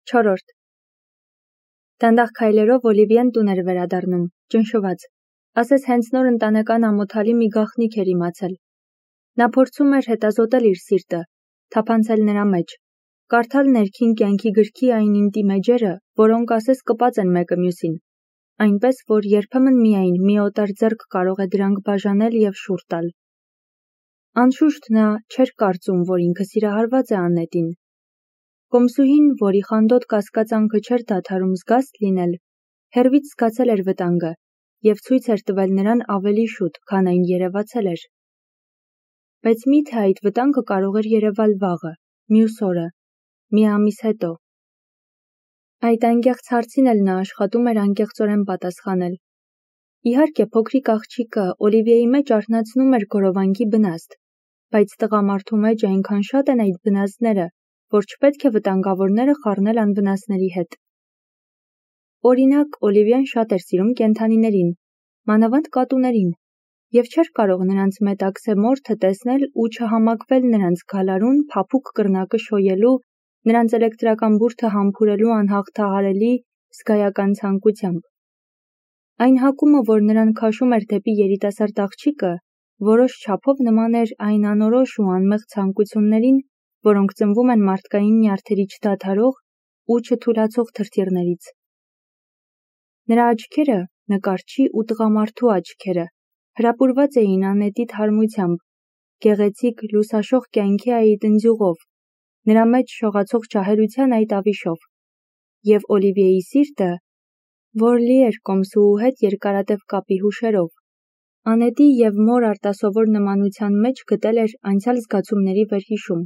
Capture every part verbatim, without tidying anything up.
Չորրորդ Դանդաղ քայլերով Օլիվիեն տուն էր վերադառնում, ճնշված, ասես հենց նոր ընտանեկան ամոթալի մի գաղտնիք էր իմացել։ Նա փորձում էր հետազոտել իր սիրտը, թափանցել նրա մեջ, կարդալ ներքին կյանքի գրքի այն ինտիմ էջերը, որոնք ասես կպած են մեկը մյուսին, այնպես, որ երբեմն միայն մի օտար ձեռք կարող է դրանք բաժանել և շուռ տալ։ Անշուշտ նա չէր կարծում, որ ինքը սիրահարված է Աննետին։ Կոմսուհին, որի խանդոտ կասկածանքը չէր դադարում զգաստ լինել, հեռվից զգացել էր վտանգը և ցույց էր տվել նրան ավելի շուտ, քան այն երևացել էր։ Բայց մի՞թե այդ վտանգը կարող էր երևալ վաղը, մյուս օրը, մի ամիս հետո։ Այդ անկեղծ հարցին էլ նա աշխատում էր անկեղծորեն պատասխանել։ Իհարկե, փոքրիկ աղջիկը Օլիվիեի մեջ արթնացնում էր գորովանքի բնազդ, բայց տղամարդու մեջ այնքան շատ են այդ բնազդները, որ չպետք է վտանգավորները խառնել անվնասների հետ։ Օրինակ, Օլիվիան շատ էր սիրում կենդանիներին, մանավանդ կատուներին, և չէր կարող նրանց մետաքսե մորթը տեսնել ու չհամակվել նրանց գալարուն, փափուկ կռնակը շոյելու, նրանց էլեկտրական բուրդը համբուրելու անհաղթահարելի, զգայական ցանկությամբ։ Այն հակումը, որ նրան քաշում էր դեպի երիտասարդ աղջիկը, որոշ չափով նման էր այն անորոշ ու անմեղ ցանկություններին, որոնք ծնվում են մարդկային նյարդերի չդադարող ու չթուլացող թրթիռներից։ Նրա աչքերը, նկարչի ու տղամարդու աչքերը, հրապուրված էին Աննետի թարմությամբ, գեղեցիկ լուսաշող կյանքի այդ ընձյուղով, նրա մեջ շողացող ջահելության այդ ավիշով, և Օլիվիեի սիրտը, որ լի էր կոմսուհու հետ երկարատև կապի հուշերով, Աննետի և մոր արտասովոր նմանության մեջ գտել էր անցյալ զգացումների վերհիշում,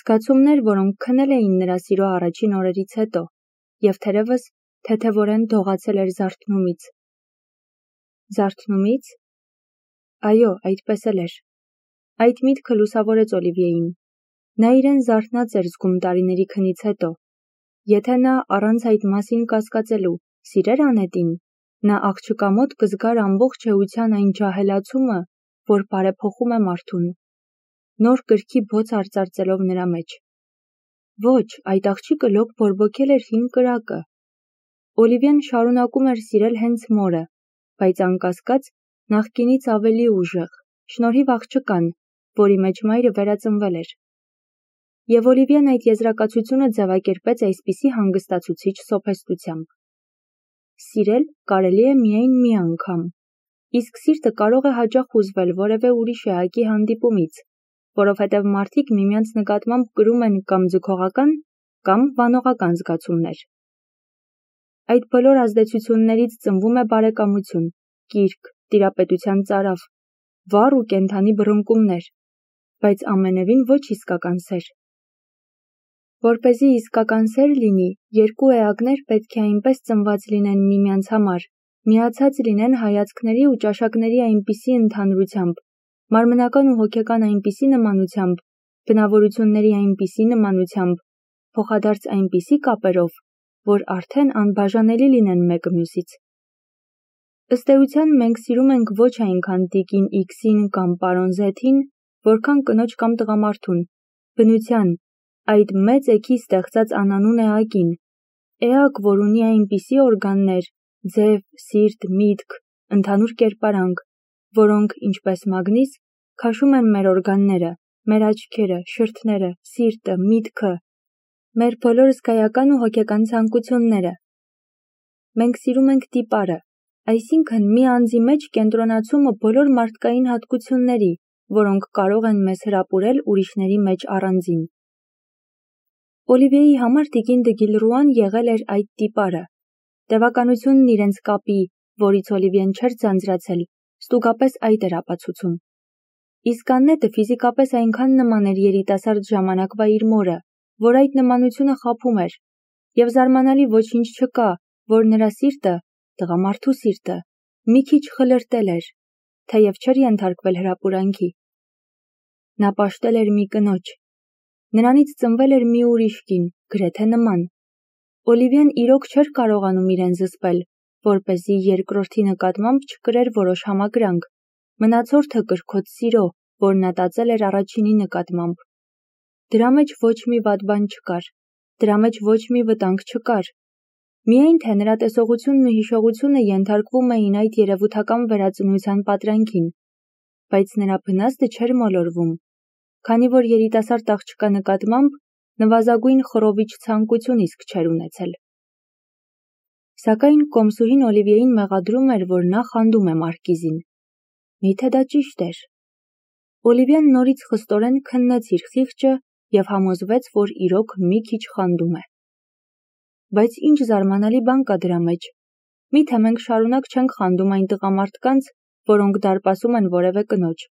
զգացումներ, որոնք քնել էին նրա սիրո առաջին օրերից հետո, և թերևս թեթևորեն դողացել էր զարթնումից։ Զարթնումից։ Այո, այդպես էլ էր։ Այդ միտքը լուսավորեց Օլիվիեին։ Նա իրեն զարթնած էր զգում տարիների քնից հետո։ Եթե նա առանց այդ մասին կասկածելու սիրեր Աննետին, նա աղջկա մոտ կզգար ամբողջ էության այն ջահելացումը, որ բարեփոխում է մարդուն, նոր կրքի բոց արծարծելով նրա մեջ։ Ոչ, այդ աղջիկը լոկ բորբոքել էր հին կրակը։ Օլիվիան շարունակում էր սիրել հենց մորը, բայց անկասկած նախկինից ավելի ուժեղ, շնորհիվ աղջկան, որի մեջ մայրը վերածնվել էր։ Եվ Օլիվիան այդ եզրակացությունը ձևակերպեց այսպիսի հանգստացուցիչ սոփեստությամբ. Սիրել կարելի է միայն մի անգամ, իսկ սիրտը կարող է հաճախ հուզվել որևէ ուրիշ էակի հանդիպումից, որովհետև մարդիկ միմյանց նկատմամբ կրում են կամ ձգողական, կամ վանողական զգացումներ։ Այդ բոլոր ազդեցություններից ծնվում է բարեկամություն, կիրք, տիրապետության ծարավ, վառ ու կենդանի բռնկումներ, բայց ամենևին ոչ իսկական սեր։ Որպեսզի իսկական սեր լինի, երկու էակներ պետք է այնպես ծնված լինեն միմյանց համար, միացած լինեն հայացքների ու ճաշակների այնպիսի ընդհանրությամբ, մարմնական ու հոգեկան այնպիսի նմանությամբ, բնավորությունների այնպիսի նմանությամբ, փոխադարձ այնպիսի կապերով, որ արդեն անբաժանելի լինեն մեկը մյուսից։ Ըստ էության մենք սիրում ենք ոչ այնքան տիկին Իքսին կամ պարոն Զեթին, որքան կնոջ կամ տղամարդուն, բնության, այդ մեծ էգի ստեղծած անանուն էակին, էակ, որ ունի այնպիսի օրգաններ, ձև, սիրտ, միտք, ընդհանուր կերպարանք, որոնք, ինչպես մագնիս, քաշում են մեր օրգանները, մեր աչքերը, շրթները, սիրտը, միտքը, մեր բոլոր զգայական ու հոգեկան ցանկությունները։ Մենք սիրում ենք տիպարը, այսինքն մի անձի մեջ կենտրոնացումը բոլոր մարդկային հատկությունների, որոնք կարող են մեզ հրապուրել ուրիշների մեջ առանձին։ Օլիվիեի համար տիկին դը Գիլռուան եղել էր այդ տիպարը։ Տևականությունն իրենց կապի, որից Օլիվիեն չէր ձանձրացել, ստուգապես այդ էր ապացուցում։ Իսկ Աննետը ֆիզիկապես այնքան նման էր երիտասարդ ժամանակվա իր մորը, որ այդ նմանությունը խաբում էր, և զարմանալի ոչինչ չկա, որ նրա սիրտը, տղամարդու սիրտը, մի քիչ խլրտել էր, թեև չէր ենթարկվել հրապուրանքի։ Նա պաշտել էր մի կնոջ։ Նրանից ծնվել էր մի ուրիշ կին, գրեթե նման։ Օլիվիան իրոք չէր կարողանում իրեն զսպել, որպեսզի երկրորդի նկատմամբ չկրեր որոշ համակրանք, մնացորդը կրքոտ սիրո, որ նա տածել էր առաջինի նկատմամբ։ Դրա մեջ ոչ մի վատ բան չկար։ դրա մեջ ոչ մի վտանգ չկար։ Միայն թե նրա տեսողությունն ու հիշողությունը ենթարկվում էին այդ երևութական վերածնության պատրանքին, բայց նրա բնազդը չէր մոլորվում, քանի որ երիտասարդ աղջկա նկատմամբ նվազագույն խռովիչ ցանկություն իսկ չէր ունեցել։ Սակայն կոմսուհին Օլիվիեին մեղադրում էր, որ նա խանդում է մարկիզին։ Միթե դա ճիշտ էր։ Օլիվիան նորից խստորեն քննեց իր խիղճը և համոզվեց, որ իրոք մի քիչ խանդում է։ Բայց ինչ զարմանալի բան կա դրա մեջ։ Միթե մենք շարունակ չենք խանդում այն տղամարդկանց, որոնք դարպասում են որևէ կնոջ։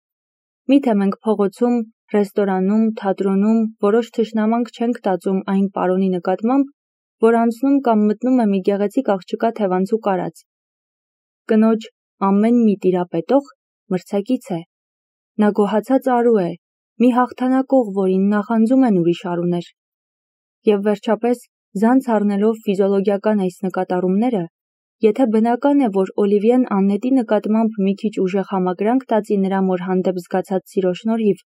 Միթե մենք փողոցում, ռեստորանում, թատրոնում որոշ թշնամանք չենք տածում այն պարոնի նկատմամբ, որ անցնում կամ մտնում է մի գեղեցիկ աղջկա թևանցուկ արած։ Կնոջ ամեն մի տիրապետող մրցակից է։ Նա գոհացած արու է, մի հաղթանակող, որին նախանձում են ուրիշ արուներ։ Եվ վերջապես, զանց առնելով ֆիզիոլոգիական այս նկատառումները, եթե բնական է, որ Օլիվիեն Աննետի նկատմամբ մի քիչ ուժեղ համակրանք տածի նրա մոր հանդեպ զգացած սիրո շնորհիվ,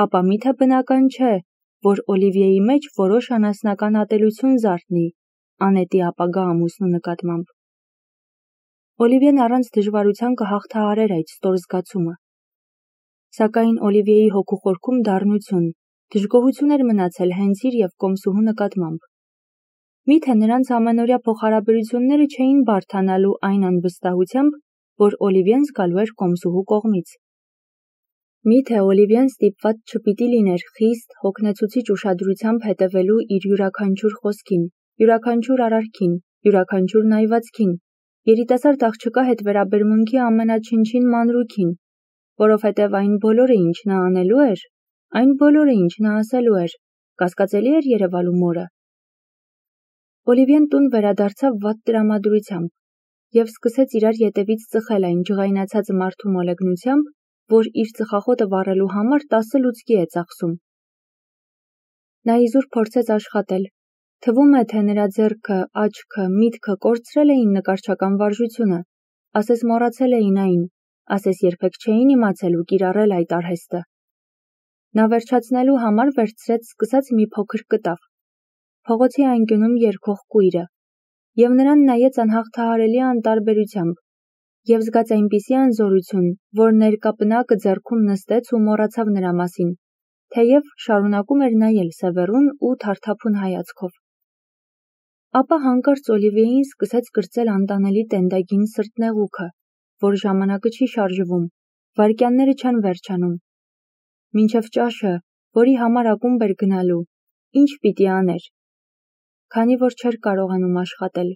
ապա միթե բնական չէ, որ Օլիվիեի մեջ որոշ անասնական ատելություն զարթնի Անետի ապագա ամուսնու նկատմամբ։ Օլիվիեն առանց դժվարության կհաղթահարեր այդ ստոր զգացումը։ Սակայն Օլիվիեի հոգու խորքում դառնություն, դժգոհություն էր մնացել հենց իր և կոմսուհու նկատմամբ։ Միթե նրանց ամենօրյա փոխհարաբերությունները չէին բարդանալու այն անվստահությամբ, որ Օլիվիեն զգալու էր կոմսուհու կողմից։ Միթե Օլիվիեն ստիպված չպիտի լիներ խիստ, հոգնեցուցիչ ուշադրությամբ հետևելու իր յուրաքանչյուր խոսքին, յուրաքանչյուր արարքին, յուրաքանչյուր նայվածքին, երիտասարդ աղջկա հետ վերաբերմունքի ամենաչնչին մանրուքին, որովհետև այն բոլորը, ինչ նա անելու էր, այն բոլորը, ինչ նա ասելու էր, կասկածելի էր երևալու մորը։ Օլիվիեն տուն վերադարձավ վատ տրամադրությամբ և սկսեց իրար ետևից ծխել այն ջղայնացած մարդու մոլեգնությամբ, որ իր ծխախոտը վառելու համար տասը լուցկի է ծախսում։ Նա իզուր փորձեց աշխատել։ Թվում է, թե նրա ձեռքը, աչքը, միտքը կորցրել էին նկարչական վարժությունը, ասես մոռացել էին այն, ասես երբեք չէին իմացել ու կիրառել այդ արհեստը։ Նա վերջացնելու համար վերցրեց սկսած մի փոքր կտավ, փողոցի անկյունում երգող կույրը, և նրան նայեց անհաղթահարելի անտարբերությամբ, և զգաց այնպիսի անզորություն, որ ներկա պնակը ձեռքում նստեց ու մոռացավ նրա մասին, թեև շարունակում էր նայել սևեռուն ու թարթափուն հայացքով։ Ապա հանկարծ Օլիվիեին սկսեց կրծել անտանելի տենդագին սրտնեղուքը, որ ժամանակը չի շարժվում, վայրկյանները չեն վերջանում։ Մինչև ճաշը, որի համար ակումբ էր գնալու, ինչ պիտի աներ, քանի որ չէր կարողանում աշխատել։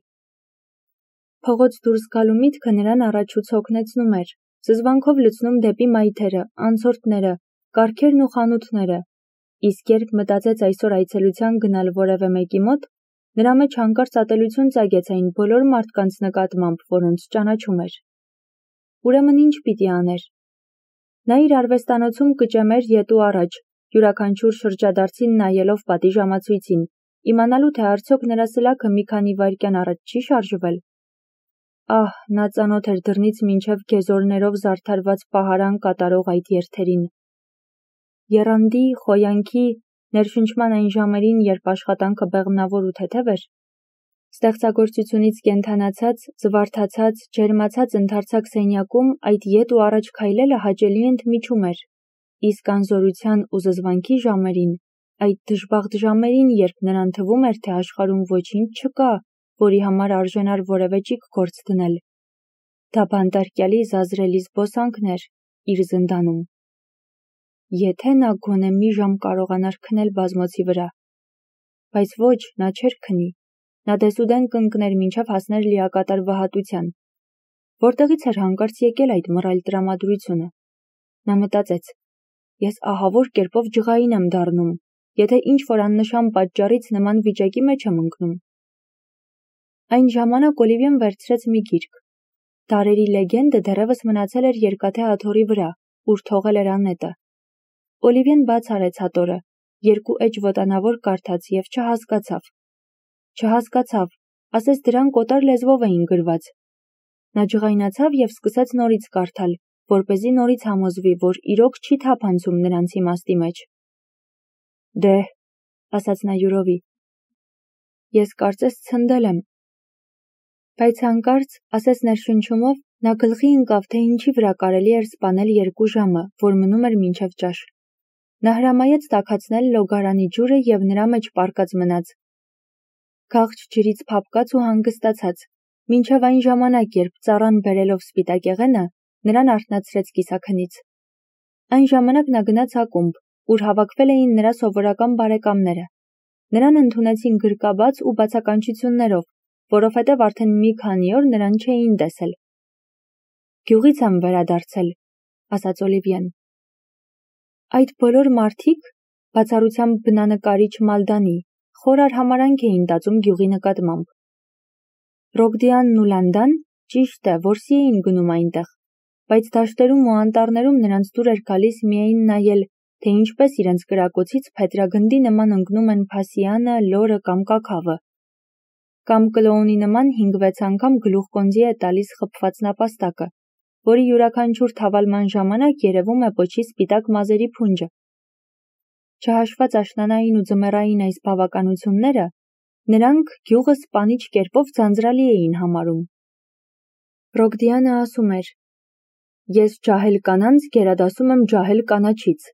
Փողոց դուրս գալու միտքը նրան առաջուց հոգնեցնում էր, զզվանքով լցնում դեպի մայթերը, անցորդները, կառքերն ու խանութները, իսկ երբ մտածեց այսօր այցելության գնալ որևէ մեկի մոտ, նրա մեջ հանկարծ ատելություն ծագեց այն բոլոր մարդկանց նկատմամբ, որոնց ճանաչում էր։ Ուրեմն ինչ պիտի աներ։ Նա իր արվեստանոցում կճեմեր ետ ու առաջ, յուրաքանչյուր շրջադարձին նայելով պատիժամացույցին, իմանալու թե արդյոք նրա սլաքը մի քանի վայրկյան առաջ չի շարժվել։ Ահ, նա ծանոթ էր դռնից մինչև գեզորներով զարդարված պահարան կատարող այդ երթերին։ Եռանդի, խոյանքի, ներշնչման այն ժամերին, երբ աշխատանքը բեղմնավոր ու թեթև էր, ստեղծագործությունից կենդանացած, զվարթացած, ջերմացած ընդարձակ սենյակում այդ ետ ու առաջ քայլելը հաճելի ընդմիջում էր, իսկ անզորության ու զզվանքի ժամերին, այդ դժբախտ ժամերին, երբ նրան թվում էր, թե աշխարհում ոչինչ չկա, որի համար արժանար որևէ ճիգ գործ դնել, դա բանտարկյալի զազրելի զբոսանքն էր իր զնդանում։ Եթե նա գոնե մի ժամ կարողանար քնել բազմոցի վրա, բայց ոչ, նա չէր քնի, նա դեսուդեն կընկներ մինչև հասներ լիակատար վհատության։ Որտեղից էր հանկարծ եկել այդ մռայլ տրամադրությունը։ Նա մտածեց. ես ահավոր կերպով ջղային եմ դառնում, եթե ինչ-որ աննշան պատճառից նման վիճակի մեջ եմ ընկնում։ Այն ժամանակ Օլիվիեն վերցրեց մի գիրք։ Դարերի լեգենդը դեռևս մնացել էր երկաթե աթոռի վրա, ուր թողել էր Անետը։ Օլիվիեն բաց արեց հատորը, երկու էջ ոտանավոր կարդաց և չհասկացավ։ Չհասկացավ, ասես դրանք օտար լեզվով էին գրված։ Նա ջղայնացավ և սկսեց նորից կարդալ, որպեսզի նորից համոզվի, որ իրոք չի թափանցում նրանց իմաստի մեջ։ Դե, ասաց նա յուրովի, ես կարծես ցնդել եմ։ Բայց հանկարծ, ասես ներշնչումով, նա գլխի ընկավ, թե ինչի վրա կարելի էր սպանել երկու ժամը, որ մնում էր մինչև ճաշ։ Նա հրամայեց տաքացնել լոգարանի ջուրը և նրա մեջ պառկած մնաց։ Քաղճ ջրից փափկած ու հանգստացած, մինչև այն ժամանակ, երբ ծառան բերելով սպիտակեղենը, նրան արթնացրեց կիսաքնից։ Այն ժամանակ նա գնաց ակումբ, ուր հավաքվել էին նրա սովորական բարեկամները։ Նրան ընդունեցին գրկաբաց ու բացականչություններով, որովհետև արդեն մի քանի օր նրան չէին տեսել։ Գյուղից եմ վերադարձել, ասաց Օլիվիեն։ Այդ բոլոր մարդիկ, բացառությամբ բնանկարիչ Մալդանի, խոր արհամարհանք էին տածում գյուղի նկատմամբ։ Ռոգդիանն ու Լանդան ճիշտ է, որսի էին գնում այնտեղ, բայց դաշտերում ու անտառներում նրանց դուր էր գալիս միայն նայել, թե ինչպես իրենց կրակոցից փետրագնդի նման ընկնում են փասիանը, լորը կամ կաքավը, կամ կլոունի նման հինգ-վեց անգամ գլուխկոնձի է տալիս խփված նապաստակը, որի յուրաքանչյուր թավալման ժամանակ երևում է պոչի սպիտակ մազերի փունջը։ Չհաշված աշնանային ու ձմեռային այս բավականությունները, նրանք գյուղը սպանիչ կերպով ձանձրալի էին համարում։ Ռոգդիանը ասում էր. «Ես ջահել կանանց գերադասում եմ ջահել կանաչից»։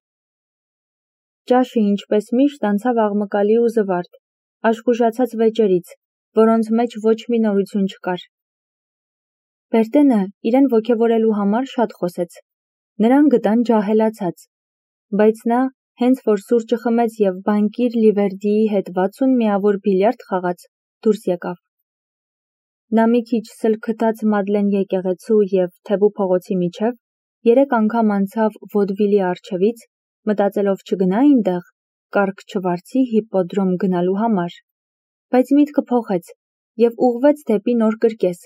Ճաշը ինչպես միշտ անցավ աղմկալի ու զվարթ, աշխուժացած վեճերից, որոնց մեջ ոչ մի նորություն չկար։ Բերտենը իրեն ոգևորելու համար շատ խոսեց։ Նրան գտան ջահելացած, բայց նա, հենց որ սուրճը խմեց և բանկիր Լիվերդիի հետ վաթսուն միավոր բիլիարդ խաղաց, դուրս եկավ։ Նա մի քիչ սլքթաց Մադլեն եկեղեցու և Թեբու փողոցի միջև, երեք անգամ անցավ Վոդվիլի առջևից, մտածելով չգնա այնտեղ, կառք չվարձի հիպպոդրոմ գնալու համար, բայց միտքը փոխեց և ուղղվեց դեպի նոր կրկես,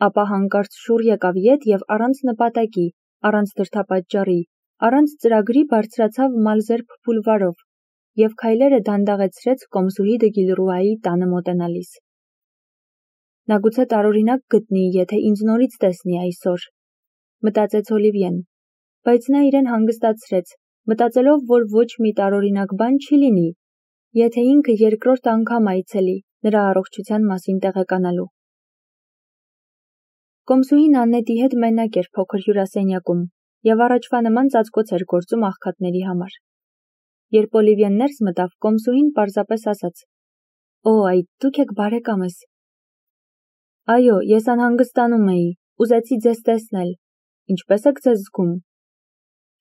ապա հանկարծ շուռ եկավ ետ և առանց նպատակի, առանց դրդապատճառի, առանց ծրագրի բարձրացավ Մալզերբ բուլվարով և քայլերը դանդաղեցրեց Կոմսուհի դը Գիլռուայի տանը մոտենալիս։ Նա գուցե տարօրինակ գտնի, եթե ինձ նորից տեսնի այսօր, մտածեց Օլիվիեն, բայց նա իրեն հանգստացրեց, մտածելով, որ ոչ մի տարօրինակ բան չի լինի, եթե ինքը երկրորդ անգամ այցելի նրա առողջության մասին տեղեկանալու։ Կոմսուհին Աննետի հետ մենակ էր փոքր հյուրասենյակում և առաջվա նման ծածկոց էր գործում աղքատների համար։ Երբ Օլիվիեն ներս մտավ, Կոմսուհին պարզապես ասաց. «Օ, այ դուք եք բարեկամս»։ Այո, ես անհանգստանում էի, ուզեցի ձեզ տեսնել, ինչպե՞ս եք ձեզ զգում։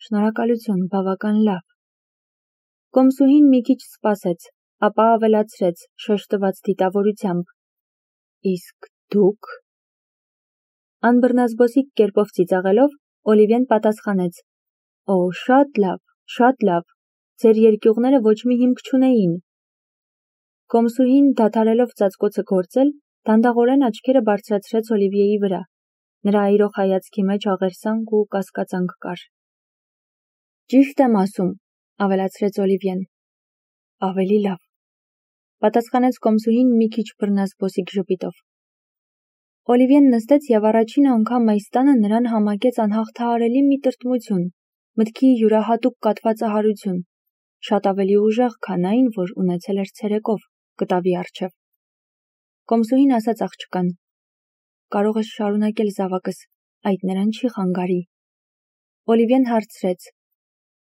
Շնորհակալություն, բավական լավ։ Կոմսուհին մի քիչ սպասեց, ապա ավելացրեց շեշտված դիտավորությամբ. Իսկ դուք։ Անբռնազբոսիկ կերպով ծիծաղելով, Օլիվիեն պատասխանեց. Օ, շատ լավ, շատ լավ, ձեր երկյուղները ոչ մի հիմք չունեին։ Կոմսուհին, դադարելով ծածկոցը գործել, դանդաղորեն աչքերը բարձրացրեց Օլիվիեի վրա։ Նրա այրող հայացքի մեջ աղերսանք ու կասկածանք կար։ Ճիշտ եմ ասում, ավելացրեց Օլիվիեն։ Ավելի լավ, պատասխանեց Կոմսուհին մի քիչ բռնազբոսիկ ժպիտով։ Օլիվիեն նստեց և առաջին անգամ այս տանը նրան համակեց անհաղթահարելի մի տրտմություն, մտքի յուրահատուկ կաթվածահարություն, շատ ավելի ուժեղ, քան այն, որ ունեցել էր ցերեկով, կտավի առջև։ Կոմսուհին ասաց աղջկան. Կարող ես շարունակել զավակս, այդ նրան չի խանգարի։ Օլիվիեն հարցրեց.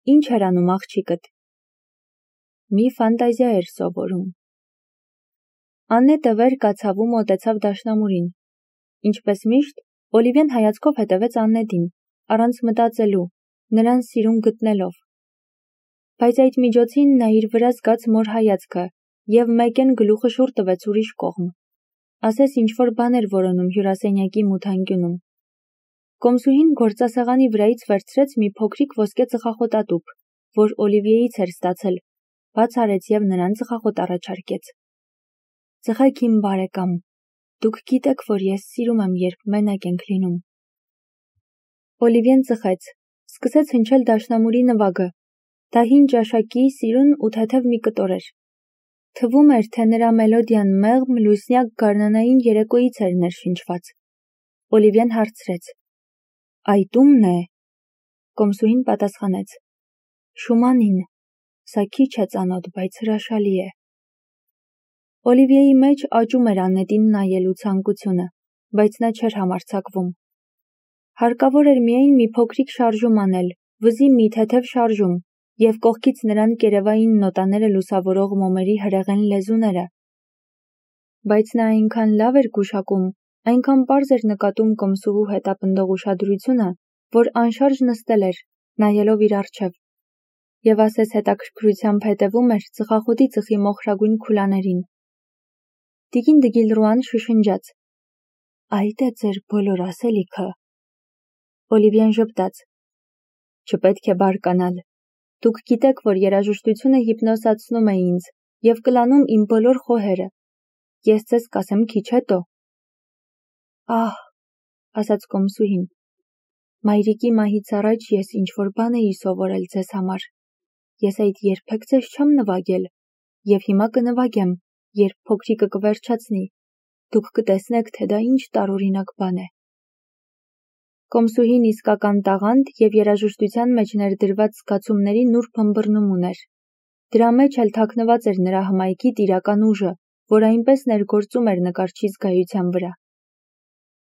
Ինչ էր անում աղջիկդ։ Մի ֆանտազիա էր սովորում։ Աննետը վեր կացավ ու մոտեցավ դաշնամուրին։ Ինչպես միշտ, Օլիվիեն հայացքով հետևեց Աննետին, առանց մտածելու, նրան սիրուն գտնելով։ Բայց այդ միջոցին նա իր վրա զգաց մոր հայացքը և մեկեն գլուխը շուռ տվեց ուրիշ կողմ։ Ասես ինչ-որ բան էր որոնում հյուրասենյակի մութանկյունում։ Կոմսուհին գործասեղանի վրայից վերցրեց մի փոքրիկ ոսկե ծխախոտատուփ, որ Օլիվիեից էր ստացել, բաց արեց և նրան ծխախոտ առաջարկեց։ Ծխեք իմ բարեկամ, դուք գիտեք, որ ես սիրում եմ, երբ մենակ ենք լինում։ Օլիվիեն ծխեց, սկսեց հնչել դաշնամուրի նվագը։ Դա հին ճաշակի, սիրուն ու թեթև մի կտոր էր։ Թվում էր, թե նրա մելոդիան մեղմ, լուսնյակ գարնանային երեկոյից էր ներշնչված։ Օլիվիեն հարցրեց. Այդ ո՞ւմն է։ Կոմսուհին պատասխանեց. Շումանին, սա քիչ է ծանոթ, բայց հրաշալի է։ Օլիվիեի մեջ աճում էր Աննետին նայելու ցանկությունը, բայց նա չէր համարձակվում։ Հարկավոր էր միայն մի փոքրիկ շարժում անել, վզի մի թեթև շարժում, և կողքից նրան կերևային նոտաները լուսավորող մոմերի հրեղեն լեզուները։ Բայց նա այնքան լավ էր գուշակում, այնքան պարզ էր նկատում կոմսուհու հետապնդող ուշադրությունը, որ անշարժ նստել էր, նայելով իր առջև, և ասես հետաքրքրությամբ հետևում էր ծխախոտի ծխի մոխրագույն քուլաներին։ Տիկին Դգիլրուան շշնջաց. «Այդ է ձեր բոլոր ասելիքը»։ Օլիվիեն ժպտաց. «Չպետք է բարկանալ։ Դուք գիտեք, որ երաժշտությունը հիպնոսացնում է ինձ և կլանում իմ բոլոր խոհերը։ Ես ձեզ կասեմ քիչ հետո»։ «Ահ», ասաց կոմսուհին, «մայրիկի մահից առաջ ես ինչ-որ բան էի սովորել ձեզ համար։ Ես այդ երբեք ձեզ չեմ նվագել, և հիմա կնվագեմ, երբ փոքրիկը կվերջացնի։ Դուք կտեսնեք, թե դա ինչ տարօրինակ բան է»։ Կոմսուհին իսկական տաղանդ և երաժշտության մեջ ներդրված զգացումների նուրբ ըմբռնում ուներ։ Դրա մեջ էլ թաքնված էր նրա հմայքի տիրական ուժը, որ այնպես ներգործում էր նկարչի զգայության վրա։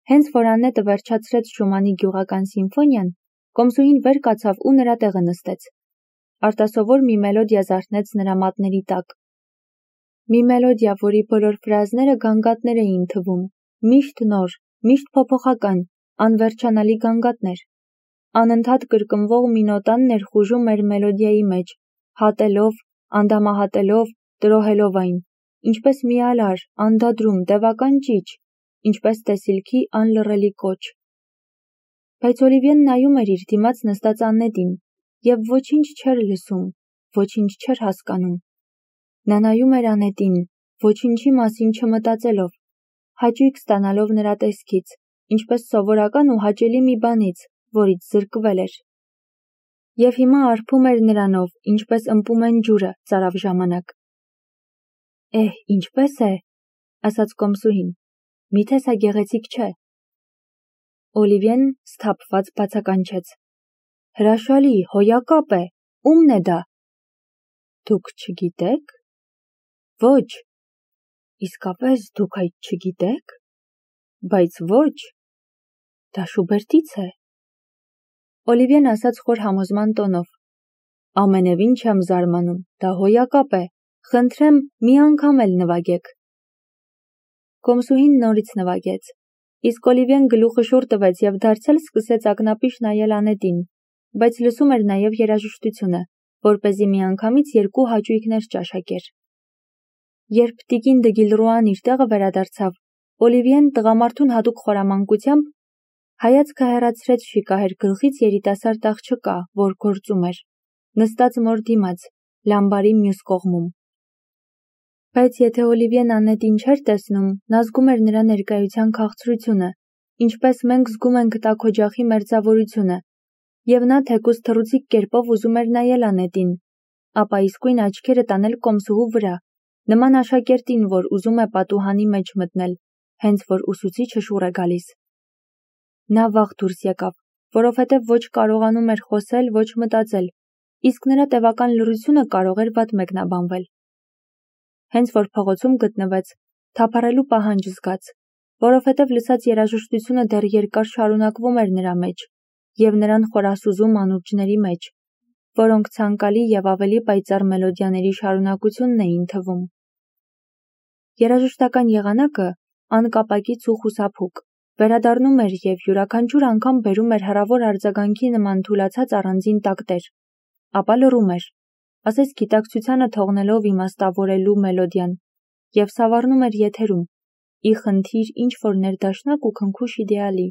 Հենց որ Աննետը վերջացրեց Շումանի գյուղական սիմֆոնիան, կոմսուհին վեր կացավ ու նրա տեղը նստեց։ Արտասովոր մի մելոդիա զարթնեց նրա մատների տակ։ Մի մելոդիա, որի բոլոր ֆրազները գանգատներ էին թվում, միշտ նոր, միշտ փոփոխական, անվերջանալի գանգատներ։ Անընդհատ կրկնվող մի նոտան ներխուժում էր մելոդիայի մեջ, հատելով, անդամահատելով, տրոհելով այն, ինչպես մի ալար, անդադրում, տևական ճիչ, ինչպես տեսիլքի անլռելի կոչ։ Բայց Օլիվիեն նայում էր իր դիմաց նստած Աննետին, և ոչինչ չէր լսում, ոչինչ չէր հասկանում։ Նա նայում էր Աննետին, ոչինչի մասին չմտածելով, հաճույք ստանալով նրա տեսքից, ինչպես սովորական ու հաճելի մի բանից, որից զրկվել էր։ Եվ հիմա արբում էր նրանով, ինչպես ըմպում են ջուրը ծարավ ժամանակ։ «Էհ, ինչպե՞ս է», ասաց կոմսուհին, «միթե սա գեղեցիկ չէ»։ Օլիվիեն սթափված բացականչեց. «Հրաշալի, հոյակապ է, ո՞ւմն է դա»։ «Դուք չգիտե՞ք»։ «Ոչ»։ «Իսկապես դուք այդ չգիտե՞ք»։ «Բայց ոչ»։ «Դա Շուբերտից է»։ Օլիվիեն ասաց խոր համոզման տոնով. «Ամենևին չեմ զարմանում, դա հոյակապ է, խնդրեմ, մի անգամ էլ նվագեք»։ Կոմսուհին նորից նվագեց, իսկ Օլիվիեն գլուխը շուռ տվեց և դարձյալ սկսեց ակնապիշ նայել Աննետին, բայց լսում էր նաև երաժշտությունը, որպեսզի միանգամից երկու հաճույքներ ճաշակեր։ Երբ տիկին Դգիլրուան իր տեղը վերադարձավ, Օլիվիեն տղամարդուն հատուկ խորամանկությամբ հայացքը հեռացրեց շիկահեր գլխից երիտասարդ աղջկա, որ գործում էր, նստած մոր դիմաց, լամբարի մյուս կողմում։ Բայց եթե Օլիվիեն Աննետին չէր տեսնում, նա զգում էր նրա ներկայության քաղցրությունը, ինչպես մենք զգում ենք տաք օջախի մերձավորությունը, և նա թեկուզ թռուցիկ կերպով ուզում էր նայել Աննետին, ապա իսկույն աչքերը տանել կոմսուհու վրա, նման աշակերտին, որ ուզում է պատուհանի մեջ մտնել, հենց որ ուսուցիչը շուռ է գալիս։ Նա վաղ դուրս եկավ, որովհետև ոչ կարողանում էր խոսել, ոչ մտածել, իսկ նրա տևական լռությունը կարող էր վատ մեկնաբանվել։ Հենց որ փողոցում գտնվեց, թափառելու պահանջ զգաց, որովհետև լսած երաժշտությունը դեռ երկար շարունակվում էր նրա մեջ և նրան խորասուզում անուրջների մեջ, որոնք ցանկալի և ավելի պայծառ մելոդիաների շարունակությունն էին թվում։ Երաժշտական եղանակը, անկապակից ու խուսափուկ, վերադառնում էր և յուրաքանչյուր անգամ բերում էր հեռավոր արձագանքի նման թուլացած առանձին տակտեր, ապա լռում էր, ասես գիտակցությանը թողնելով իմաստավորելու մելոդիան, և սավառնում էր եթերում, ի խնդիր ինչ-որ ներդաշնակ ու քնքուշ իդեալի։